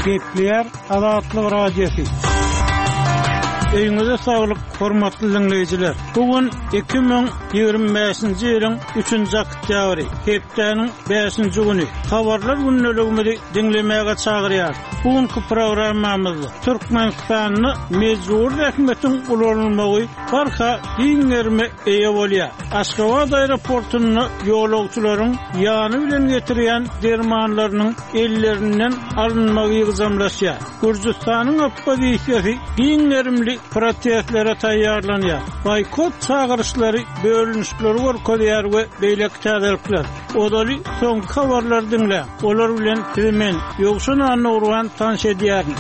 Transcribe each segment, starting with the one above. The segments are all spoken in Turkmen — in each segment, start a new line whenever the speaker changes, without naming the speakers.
Gepleýär Azatlyk Radiosy. Öýüňize saglyk, hormatly diňleýjiler! Bu gün 2025-nji ýylyň 3-nji oktýabry, hepdäniň bäşinji güni. Habarlar gündeligimizi diňlemäge çagyrýarys. Bu günki programmamyzda Türkmenistanda mejbury zähmetiň ulanylmagy barha giň gerime eýe bolýar. Aşgabat aeroportunda ýolagçylaryň ýany bilen getirýän dermanlarynyň ellerinden alynmagy ýygjamlaşýar. Gürjüstanyň oppozisiýasy giň gerimli protestlere taýýarlanýar. Boýkot çagyryşlary bölünişikleri görkezýär we beýleki täzelikler. Ozaly soňky habarlary diňläň. Olar bilen sizi men, Ýowşan Annagurban tanyş edýärin.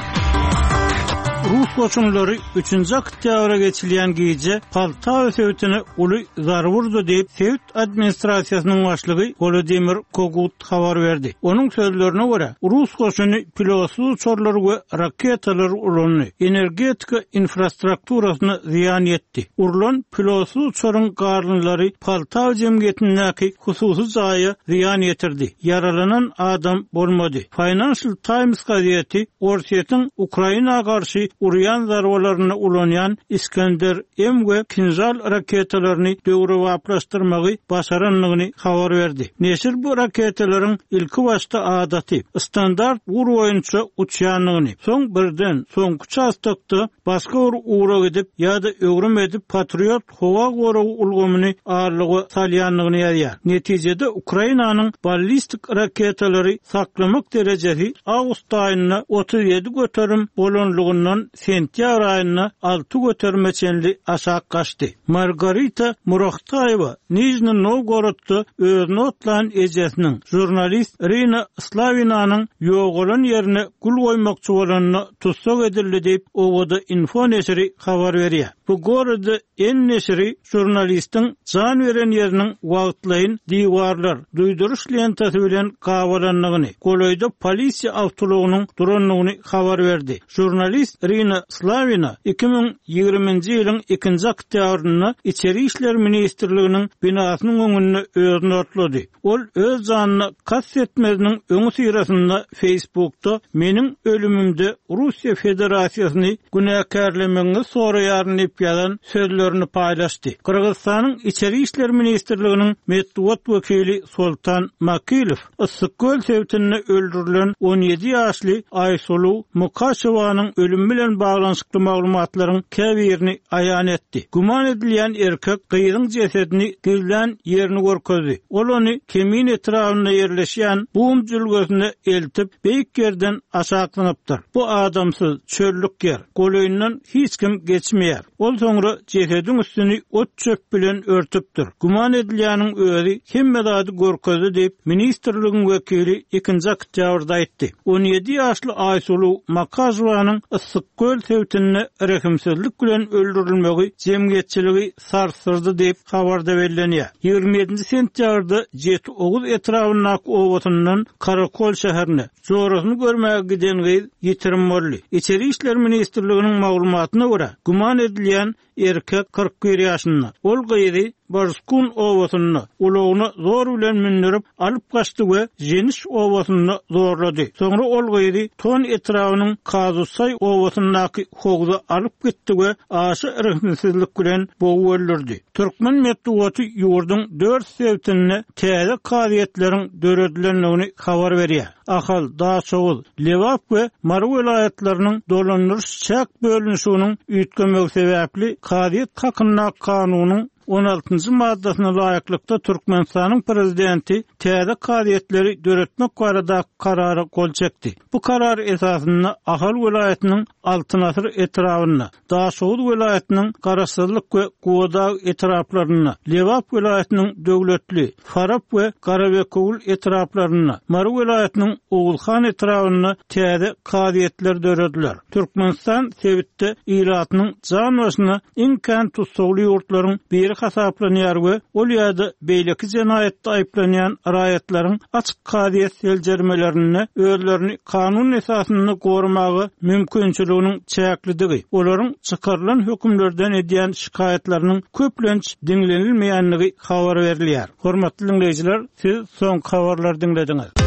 Rus goşunlary üçünji oktýabra geçilýän gije Poltawa sebitine uly zarba urdy diýip, sebit administrasiýasynyň başlygy Wolodymyr Kogut habar berdi. Onuň sözlerine görä, rus goşuny pilotsyz uçarlary we raketalary ulandy, energetika infrastrukturasyna zyýan ýetdi. Urlan pilotsyz uçaryň galyndylary Poltawa jemgyýetindäki hususy jaýa zyýan ýetirdi. Ýaralanan adam bolmady. Financial Times gazeti Orsýetiň Ukraina garşy urýan zarbalarynda ulanýan Iskender-M we Kinžal raketalaryny döwrebaplaşdyrmagy başarandygyny habar berdi. Neşir bu raketalaryň ilkibaşda adaty, standart ugur boýunça uçýandygyny, soň birden soňky uçastokda başga bir ugra gidip ýa-da öwrüm edip Patriot howa goragy ulgamyny aldyga salýandygyny ýazýar. Netijede Ukrainanyň ballistik raketalary saklamak derejesi awgust aýynda 37% bolanlygyndan sentýabr aýynda 6 göterime çenli aşak gaçdy. Margarita Murahtaýewa Nižni Nowgorodda özüni otlan ejesiniň, žurnalist Irina Slawinanyň ýogalan ýerine gül goýmakçy bolanda tussag edildi diýip, Owada-info neşiri habar berýär. Bu gorada N neşiri žurnalistiň jan beren ýeriniň wagtlaýyn diwarlar, duýduryş lentasy bilen gabalandygyny, golaýda polisiýa awtoulagynyň durandygyny habar berdi. Žurnalist Irina Slawina 2020-nji ýylyň ikinji oktýabrynda Içeri işler ministrliginiň binasynyň öňünde özüni otlady. Ol öz janyna kast etmeziniň öňüsyrasynda Facebookda Meniň ölümimde Russiýa Federasiýasyny günäkärlemegiňizi soraýaryn diýip ýazan sözlerini paýlaşdy. Gyrgyzystanyň Içeri işler ministrliginiň metbugat wekili Sultan Makilow Yssyk-Köl sebitinde öldürilen 17 ýaşly Aýsuluw Mukaşewanyň ölümi bilen baglanyşykly maglumatlaryň käbirini aýan etdi. Güman edilýän erkek gyzyň jesedini gizlän ýerini görkezdi. Ol ony Kemin etrabynda ýerleşýän Bum jülgesine eltip, beýik ýerden aşak zyňypdyr. Bu adamsyz, çöllük ýer. Golaýyndan hiç kim geçmeýär. Ol soňra jesediň üstüni ot-çöp bilen örtüpdir. Güman edilýäniň özi hemme zady görkezdi diýip, ministrligiň wekili ikinji oktýabrda aýtdy. 17 ýaşly Aýsuluw Makažowanyň Yssyk-Köl sebitinde rehimsizlik bilen öldürilmegi jemgyýetçiligi sarsdyrdy diýip, habarda bellenýär. 27-nji sentýabrda Jeti Oguz etrabyndaky obasyndan Karakol şäherine, jorasyny görmäge giden gyz ýitirim boldy. Içeri işler ministrliginiň maglumatyna görä, güman edilýän erkek 41 ýaşynda. Ol gyzy Barskun obasynda ulagyna zor bilen mündürip, alyp gaçdy we Ženiş obasynda zorlady. Soňra ol gyzy Ton etrabynyň Kazusaý obasyndaky howza alyp gitdi we aşa rehimsizlik bilen bogup öldürdi. Türkmen metbugaty ýurduň dört sebitinde täze kazyýetleriň döredilendigini habar berýär. Ahal, Daşoguz, Lebap we Mary welaýatlarynyň dolandyryş-çäk bölünişiginiň üýtgemegi sebäpli Kazyýet hakyndaky kanunyň on altynjy maddasyna laýyklykda Türkmenistanyň Prezidenti täze kazyýetleri döretmek baradaky Karara gol çekdi. Bu karar esasynda Ahal welaýatynyň Altyn asyr etrabynda, Daşoguz welaýatynyň Garaşsyzlyk we Gubadag etraplarynda, Lebap welaýatynyň Döwletli, Farap we Garabekewül etraplarynda, Mary welaýatynyň Oguzhan etrabynda täze kazyýetler dörediler. Türkmenistan sebitde ilatynyň jan başyna iň kän tussagly ýurtlaryň biri hasaplanýar we ol ýa-da beýleki jenaýatda aýyplanýan raýatlaryň açyk kazyýet seljermelerinde özlerini kanun esasynda goramaga mümkinçiliginiň çäklidigi, olaryň çykarylan hökümlerden edýän şikaýatlarynyň köplenç diňlenilmeýändigi habar berilýär. Hormatly diňleýjiler, siz soňky habarlary diňlediňiz.